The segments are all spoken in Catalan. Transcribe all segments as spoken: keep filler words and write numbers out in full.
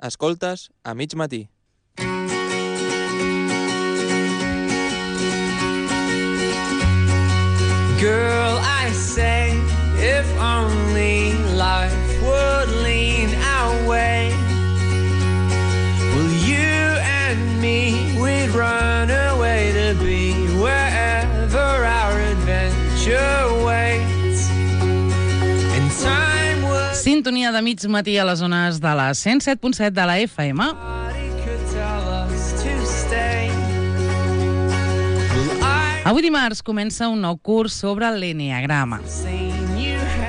Escoltes a mig matí. Girl, I say, if only life would lean our way, well, you and me, we'd run away to be wherever our adventure waits. And time would... Sintonia de mig matí a les zones de la cent set punt set de la F M. Avui dimarts comença un nou curs sobre l'enneagrama.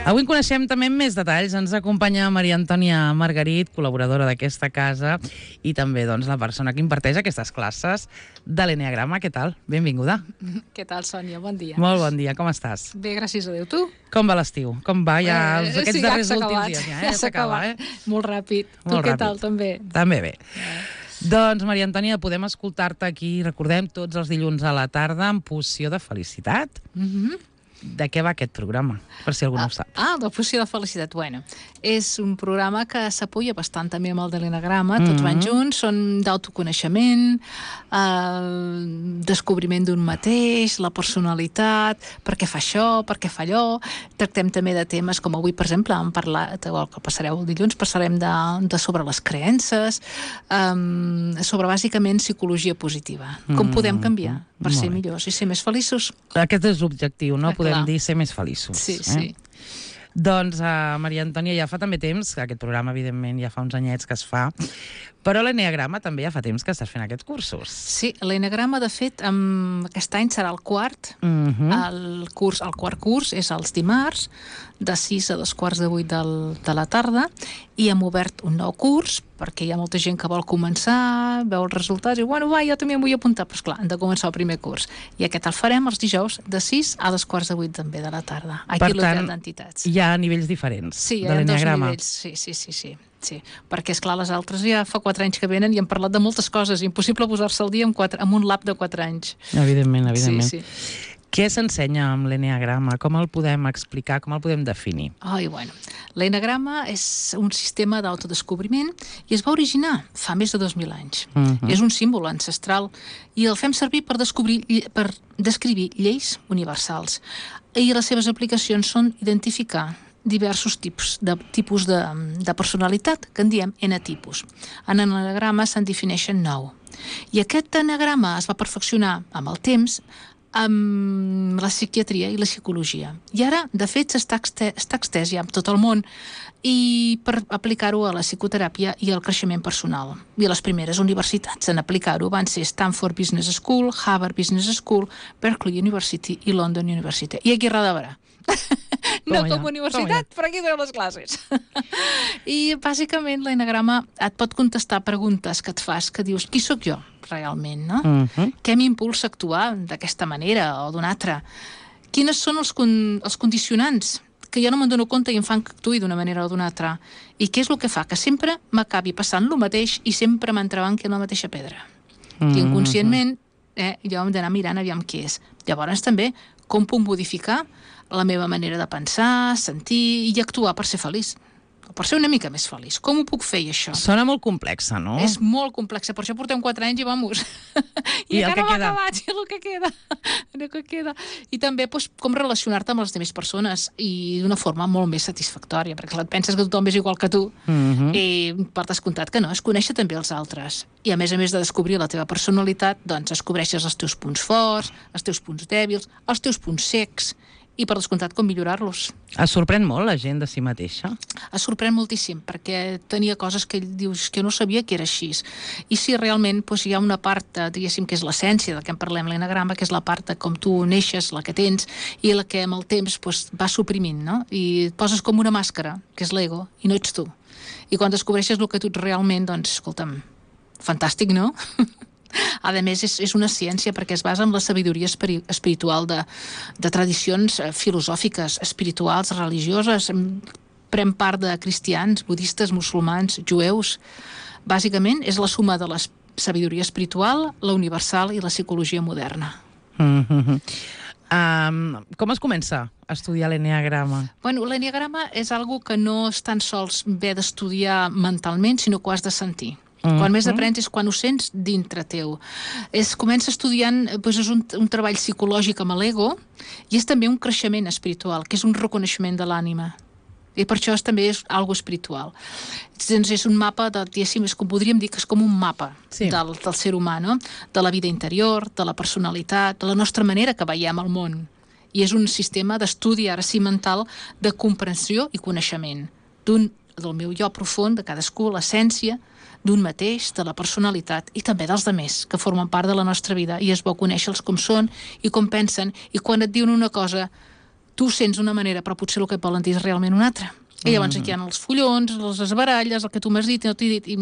Avui en coneixem també més detalls. Ens acompanya Maria Antònia Margarit, col·laboradora d'aquesta casa, i també doncs, la persona que imparteix aquestes classes de l'enneagrama. Què tal? Benvinguda. Què tal, Sònia? Bon dia. Molt bon dia. Com estàs? Bé, gràcies a Déu. Tu? Com va l'estiu? Com va ja eh, aquests sí, darrers ja últims dies? Ja, ja s'ha acabat. Eh? Molt ràpid. Molt tu què ràpid. tal, també? També bé. Eh. Doncs, Maria Antònia, podem escoltar-te aquí, recordem, tots els dilluns a la tarda, en Poció de Felicitat. Mhm. De què va aquest programa, per si algú no ho sap? Ah, de Poció de Felicitat. Bueno, és un programa que s'apoya bastant també amb el de l'enneagrama, tots mm-hmm. van junts, són d'autoconeixement, eh, descobriment d'un mateix, la personalitat, per què fa això, per què fa allò. Tractem també de temes com avui, per exemple, hem parlat, o que passareu el dilluns, parlarem de, de sobre les creences, eh, sobre bàsicament psicologia positiva. Com mm-hmm. podem canviar per Molt ser bé. millors i ser més feliços. Aquest és l'objectiu, no? Ah, Podem clar. dir ser més feliços. Sí, eh? sí. Doncs, uh, Maria Antònia, ja fa també temps, aquest programa, evidentment, ja fa uns anyets que es fa, però l'enneagrama també ja fa temps que estàs fent aquests cursos. Sí, l'enneagrama, de fet, um, aquest any serà el quart. Mm-hmm. El curs, el quart curs és els dimarts, de sis a dos quarts de vuit del, de la tarda, i hem obert un nou curs, perquè hi ha molta gent que vol començar, veu els resultats, i bueno, va, jo també em vull apuntar, però esclar, hem de començar el primer curs. I aquest el farem els dijous, de sis a dos quarts de vuit també de la tarda, aquí a l'Hotel d'Entitats. Hi ha nivells diferents sí, de hi ha dos l'enneagrama. nivells, sí, sí, sí, sí. Sí, perquè, esclar, les altres ja fa quatre anys que venen i hem parlat de moltes coses. Impossible posar-se al dia amb, quatre, amb un lap de quatre anys. Evidentment, evidentment. Sí, sí. Què s'ensenya amb l'enneagrama? Com el podem explicar? Com el podem definir? Ai, bueno, l'enneagrama és un sistema d'autodescobriment i es va originar fa més de dos mil anys. Uh-huh. És un símbol ancestral i el fem servir per, descobrir, per descriure lleis universals. I les seves aplicacions són identificar diversos tipus de, tipus de, de personalitat, que en diem enetipus. En l'enneagrama se'n defineixen nou. I aquest enneagrama es va perfeccionar amb el temps amb la psiquiatria i la psicologia. I ara, de fet, s'està extès, està extès ja amb tot el món i per aplicar-ho a la psicoteràpia i al creixement personal. I les primeres universitats en aplicar-ho van ser Stanford Business School, Harvard Business School, Berkeley University i London University. I aquí a darrere. No com a universitat, però aquí donem les classes. I bàsicament l'enneagrama et pot contestar preguntes que et fas, que dius, qui sóc jo realment, no? Uh-huh. Què m'impulsa a actuar d'aquesta manera o d'una altra? Quines són els, con els condicionants que jo no me'n dono compte i em fan que actuï d'una manera o d'una altra? I què és el que fa? Que sempre m'acabi passant el mateix i sempre m'entrebanqui en la mateixa pedra. Uh-huh. I inconscientment eh, jo hem d'anar mirant aviam què és. Llavors també, com puc modificar la meva manera de pensar, sentir i actuar per ser feliç, per ser una mica més feliç. Com ho puc fer, això? Sona molt complexa, no? És molt complexa, per això portem quatre anys i vamos. I, I encara no m'ha acabat, i el que queda. El que queda. I també doncs, com relacionar-te amb les altres persones i d'una forma molt més satisfactòria, perquè clar, et penses que tothom és igual que tu, uh-huh. i per descomptat que no, es conèixer també els altres. I a més a més de descobrir la teva personalitat, doncs descobreixes els teus punts forts, els teus punts dèbils, els teus punts secs, i per descomptat com millorar-los. Es sorprèn molt la gent de si mateixa? Es sorprèn moltíssim, perquè tenia coses que ell dius que no sabia que era així. I sí, realment doncs, hi ha una part, diguéssim, que és l'essència del que en parlem, l'enneagrama, que és la part de com tu neixes, la que tens, i la que amb el temps doncs, va suprimint, no? I et poses com una màscara, que és l'ego, i no ets tu. I quan descobreixes el que tu ets realment, doncs, escolta'm, fantàstic, no? A més, és, és una ciència perquè es basa en la sabidoria espiri espiritual de, de tradicions filosòfiques, espirituals, religioses. Pren part de cristians, budistes, musulmans, jueus. Bàsicament, és la suma de la sabidoria espiritual, la universal i la psicologia moderna. Mm-hmm. Um, com es comença estudiar l'enneagrama? Bueno, l'enneagrama és algo que no és tan sols bé d'estudiar mentalment, sinó que ho has de sentir. Mm-hmm. Quan més aprens és quan ho sents dintre teu. Es comença estudiant, doncs és un, un treball psicològic amb l'ego i és també un creixement espiritual, que és un reconeixement de l'ànima. I per això és, també és algo espiritual. Doncs és un mapa, de, diguéssim, és com podríem dir que és com un mapa sí. del, del ser humà, no? De la vida interior, de la personalitat, de la nostra manera que veiem el món. I és un sistema d'estudi, ara sí, mental, de comprensió i coneixement d'un, del meu jo profund, de cadascú, l'essència d'un mateix, de la personalitat i també dels demés, que formen part de la nostra vida, i és bo conèixer-los com són i com pensen, i quan et diuen una cosa tu sents una manera, però potser el que et volen dir és realment una altra. I llavors aquí hi ha els follons, les baralles, el que tu m'has dit i no t'he dit, i,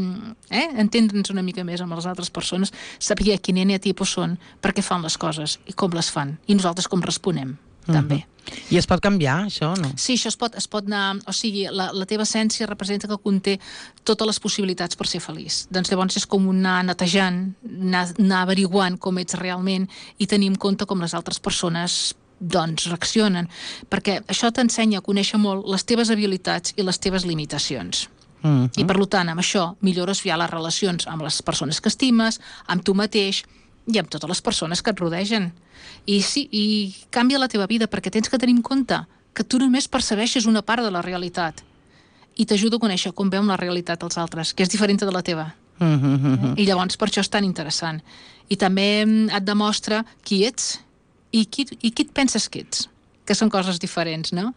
eh? entendre'ns una mica més amb les altres persones, saber quin eneatipus són, per què fan les coses i com les fan, i nosaltres com responem, uh-huh. també. I es pot canviar, això, o no? Sí, això es pot, es pot anar... O sigui, la, la teva essència representa que conté totes les possibilitats per ser feliç. Doncs llavors és com anar netejant, anar, anar averiguant com ets realment i tenir en compte com les altres persones doncs reaccionen, perquè això t'ensenya a conèixer molt les teves habilitats i les teves limitacions. Mm-hmm. I per tant, amb això millores ja les relacions amb les persones que estimes, amb tu mateix i amb totes les persones que et rodegen. I sí, i canvia la teva vida, perquè tens que tenir en compte que tu només percebeixes una part de la realitat i t'ajuda a conèixer com veuen la realitat els altres, que és diferent de la teva. Mm-hmm. I llavors per això és tan interessant. I també et demostra qui ets i qui, i qui et penses que ets, que són coses diferents, no?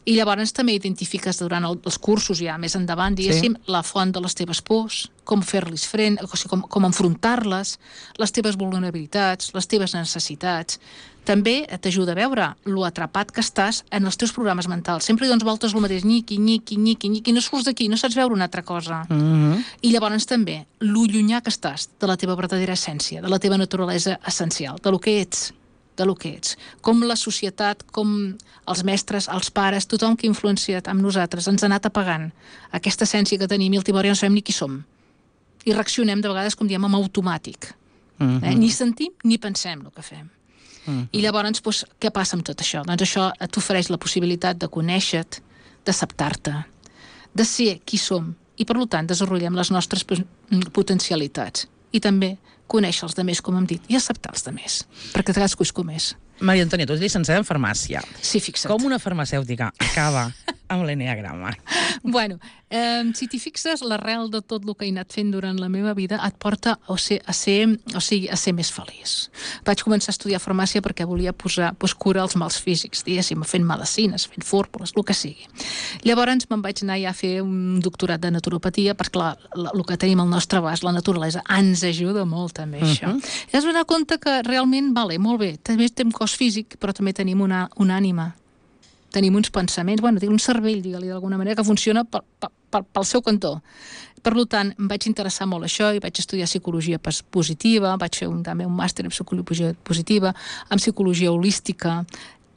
I llavors també identifiques durant el, els cursos ja més endavant, diguéssim, sí. la font de les teves pors, com fer-les front, o sigui, com, com enfrontar-les, les teves vulnerabilitats, les teves necessitats. També t'ajuda a veure lo atrapat que estàs en els teus programes mentals. Sempre hi dones voltes el mateix, nyiqui, nyiqui, nyiqui, nyiqui, no surts d'aquí, no saps veure una altra cosa. Mm-hmm. I llavors també, lo llunyà que estàs de la teva verdadera essència, de la teva naturalesa essencial, de lo que ets, de lo que ets. Com la societat, com els mestres, els pares, tothom que ha influenciat amb nosaltres, ens ha anat apagant aquesta essència que tenim i al timori no sabem ni qui som. I reaccionem de vegades, com diem, en automàtic. Mm-hmm. eh? Ni sentim ni pensem el que fem. Mm-hmm. I llavors, doncs, què passa amb tot això? Doncs això t'ofereix la possibilitat de conèixer-te, d'acceptar-te, de ser qui som i, per tant, desenvolupem les nostres potencialitats. I també conèixer els demés, com hem dit, i acceptar els demés, perquè cadascú és com és. Maria Antònia, tu ets llicenciada en farmàcia. Sí, fixa't. Com una farmacèutica acaba amb l'enneagrama? Bueno, eh, si t'hi fixes, l'arrel de tot el que he anat fent durant la meva vida et porta a ser, a ser, o sigui, a ser més feliç. Vaig començar a estudiar farmàcia perquè volia posar pues, cura als mals físics, diguéssim, fent medicines, fent fórmules, el que sigui. Llavors me'n vaig anar ja a fer un doctorat de naturopatia, perquè clar, el que tenim al nostre abast, la naturalesa, ens ajuda molt també això. Uh-huh. I has donat compte que realment, vale, molt bé, també tenim cos físic, però també tenim una, una ànima. Tenim uns pensaments, bueno, un cervell, digue-li d'alguna manera, que funciona pel, pel, pel seu cantó. Per tant, em vaig interessar molt això i vaig estudiar psicologia positiva, vaig fer un, també un màster en psicologia positiva, en psicologia holística,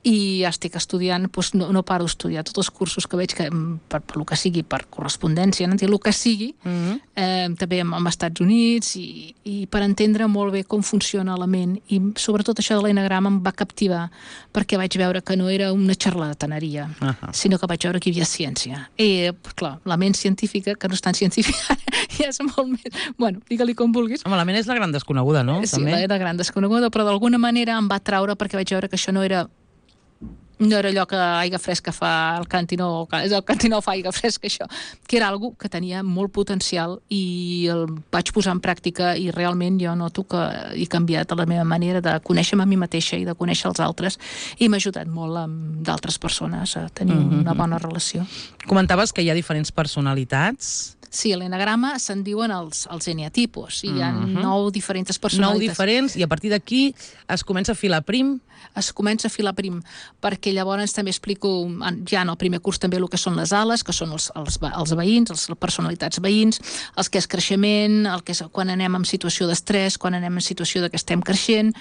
i ja estic estudiant, doncs no, no paro d'estudiar tots els cursos que veig, que per, per el que sigui, per correspondència, no? el que sigui, mm-hmm. eh, també als Estats Units, i, i per entendre molt bé com funciona la ment, i sobretot això de l'enneagrama em va captivar, perquè vaig veure que no era una xarlataneria, uh-huh. sinó que vaig veure que hi havia ciència. I, clar, la ment científica, que no és tan científica, ja és molt més... Bueno, digue-li com vulguis. Home, la ment és la gran desconeguda, no? Sí, també? la gran desconeguda, però d'alguna manera em va traure perquè vaig veure que això no era no era allò que aigua fresca fa el cantinó, és el cantinó fa aigua fresca, això, que era algo que tenia molt potencial i el vaig posar en pràctica i realment jo noto que he canviat la meva manera de conèixer-me a mi mateixa i de conèixer els altres, i m'ha ajudat molt amb d'altres persones a tenir mm-hmm. una bona relació. Comentaves que hi ha diferents personalitats. Sí, a l'enneagrama se'n diuen els, els eneatipus, i hi ha mm-hmm. nou diferents personalitats. Nou diferents, i a partir d'aquí es comença a filar prim? Es comença a filar prim, perquè llavors també explico, ja en el primer curs també el que són les ales, que són els, els, els veïns, les personalitats veïns, els que és creixement, el que és quan anem en situació d'estrès, quan anem en situació de que estem creixent.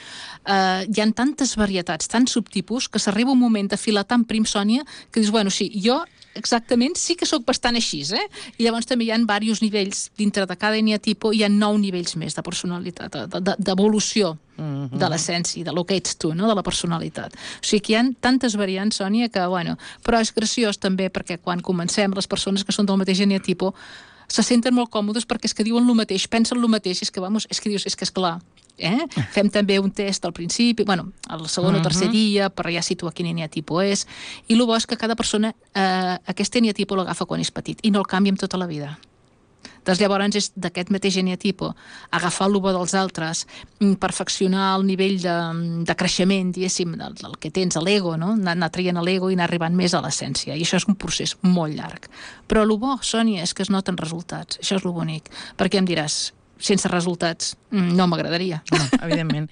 Eh, hi ha tantes varietats, tants subtipus, que s'arriba un moment de filar tan prim, Sònia, que dius, bueno, sí, jo exactament, sí que sóc bastant així, eh? I llavors també hi ha diversos nivells, dintre de cada eneatipo hi ha nou nivells més de personalitat, d'evolució Mm-hmm. de l'essència, de lo que ets tu, no? De la personalitat. O sigui que hi ha tantes variants, Sònia, que, bueno, però és graciós també perquè quan comencem, les persones que són del mateix eneatipo se senten molt còmodes perquè és que diuen el mateix, pensen el mateix, és que, vamos, és que dius, és que esclar, eh? Fem també un test al principi, bueno, al segon o tercer dia, per ja situar quin eneatipo és, i el bo és que cada persona eh, aquest eneatipo l'agafa quan és petit i no el canvia amb tota la vida. Doncs llavors és d'aquest mateix eneatipo agafar el bo dels altres, perfeccionar el nivell de, de creixement, diguéssim, del, del que tens, l'ego, no? Anar, anar traient l'ego i anar arribant més a l'essència. I això és un procés molt llarg. Però el bo, Sònia, és que es noten resultats. Això és el bonic. Perquè em diràs, sense resultats no m'agradaria. No, evidentment.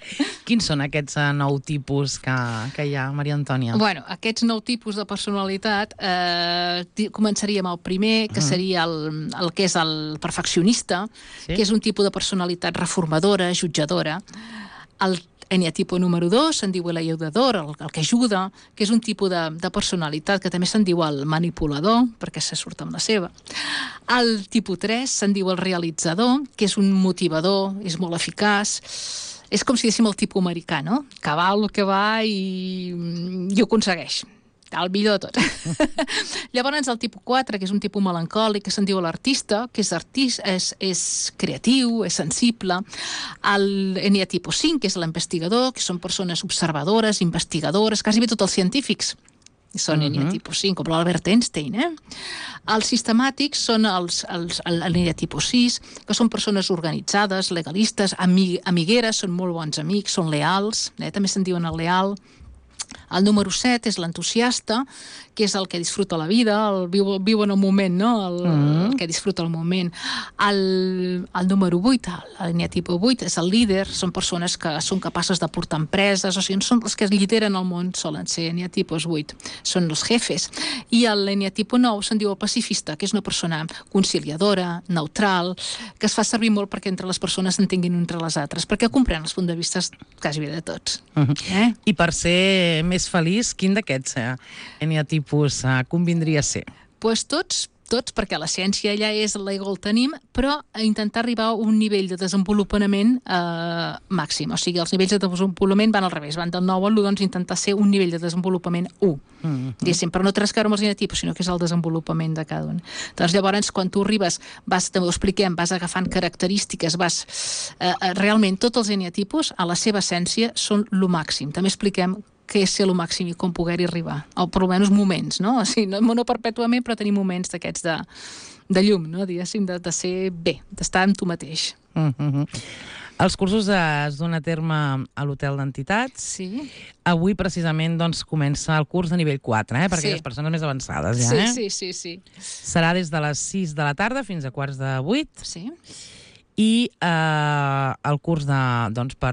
Quins són aquests uh, nou tipus que, que hi ha, Maria Antònia? Bueno, aquests nou tipus de personalitat, eh, començaríem el primer, que seria el, el que és el perfeccionista, Sí. que és un tipus de personalitat reformadora, jutjadora. El eneatipo número dos se'n diu l'ajudador, el, el que ajuda, que és un tipus de, de personalitat que també se'n diu el manipulador, perquè se surt amb la seva. El tipus tres se'n diu el realitzador, que és un motivador, és molt eficaç. És com si diguéssim el tipus americà, no? Que va el que va i, i ho aconsegueix. El millor de tot. Llavors el tipus quatre, que és un tipus melancòlic, que se'n diu l'artista, que és, artista, és, és creatiu, és sensible. El eneatipo cinc, que és l'investigador, que són persones observadores, investigadores, quasi bé tots els científics són uh -huh. eneatipo cinc, com l'Albert Einstein, eh? Els sistemàtics són els, els, l'eneatipo sis, que són persones organitzades, legalistes, amig, amigueres, són molt bons amics, són leals, eh? També se'n diuen el leal. El número set és l'entusiasta, que és el que disfruta la vida, el viu, viu en el moment, no? El, mm. el que disfruta el moment. El, el número vuit, l'eneatipo vuit, és el líder, són persones que són capaces de portar empreses, o sigui, són els que lideren el món, solen ser eneatipos vuit, són els jefes. I l'eneatipo nou se'n diu el pacifista, que és una persona conciliadora, neutral, que es fa servir molt perquè entre les persones s'entenguin entre les altres, perquè comprèn els punts de vista quasi bé de tots. Mm -hmm. eh? I per ser més feliç, quin d'aquests eh, eneatipus eh, convindria ser? Pues tots, tots, perquè la ciència ja és l'ego el tenim, però a intentar arribar a un nivell de desenvolupament eh, màxim. O sigui, els nivells de desenvolupament van al revés, van del nou a l'u, doncs intentar ser un nivell de desenvolupament u. Mm-hmm. Diguéssim, però no té res a veure amb els eneatipos, sinó que és el desenvolupament de cada un. Doncs llavors, quan tu arribes, vas, també ho expliquem, vas agafant característiques, vas... Eh, realment, tots els eneatipos, a la seva essència, són lo màxim. També expliquem què és ser el màxim i com poder-hi arribar, o per almenys moments, no? O sigui, no, no perpètuament, però tenir moments d'aquests de, de llum, no? Diguéssim, de, de ser bé, d'estar amb tu mateix. Mm-hmm. Els cursos es duen a terme a l'Hotel d'Entitats. Sí. Avui, precisament, doncs, comença el curs de nivell quatre, eh? Per Sí. aquelles persones més avançades, ja, Sí, eh? sí, sí, sí. Serà des de les sis de la tarda fins a quarts de vuit. Sí. I eh, el curs de, doncs, per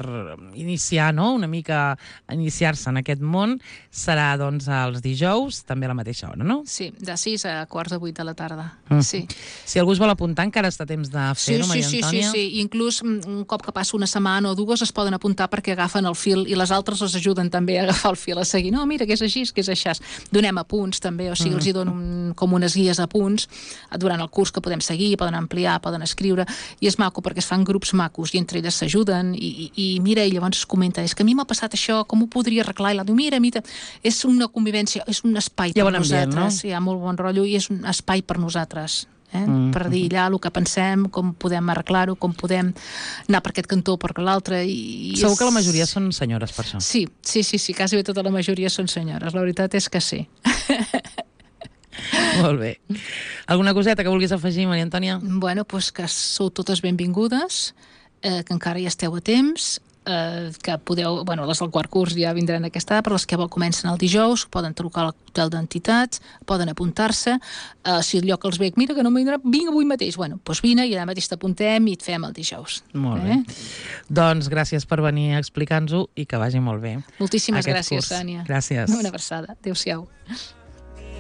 iniciar, no?, una mica iniciar-se en aquest món serà doncs, els dijous, també a la mateixa hora, no? Sí, de sis a quarts de vuit de la tarda. Mm. Sí. Si algú es vol apuntar, encara està a temps de fer-ho, Sí, Maria sí, sí, sí, Antònia? sí. I inclús un cop que passa una setmana o dues es poden apuntar perquè agafen el fil i les altres les ajuden també a agafar el fil, a seguir. No, mira, que és així, que és així. Donem apunts també, o sigui, els hi dono un, com unes guies a punts durant el curs que podem seguir, poden ampliar, poden escriure, i és maco perquè es fan grups macos i entre elles s'ajuden i, i, i mira, i llavors es comenta, és que a mi m'ha passat això, com ho podria arreglar? I la diu, mira, mira, és una convivència, és un espai Hi ha per bon ambient, nosaltres, no? hi ha molt bon rotllo i és un espai per nosaltres. Eh? Mm. Per dir allà el que pensem, com podem arreglar-ho, com podem anar per aquest cantó o per l'altre. I, i Segur és... que la majoria són senyores, per això. Sí, sí, sí, sí, quasi bé tota la majoria són senyores, la veritat és que sí. Molt bé. Alguna coseta que vulguis afegir, Maria Antònia? Bueno, doncs que sou totes benvingudes, eh, que encara hi esteu a temps, eh, que podeu, bueno, les del quart curs ja vindran aquesta hora, però les que vol comencen el dijous, poden trucar a l'hotel d'entitats, poden apuntar-se, eh, si el lloc els veig, mira que no m'hi vindrà, vinc avui mateix, bueno, doncs vine i allà mateix t'apuntem i et fem el dijous. Molt eh? bé. Doncs gràcies per venir a explicar-nos-ho i que vagi molt bé. Moltíssimes aquest gràcies, curs. Sònia. Gràcies. Una abraçada. Adéu-siau.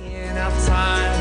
Enough time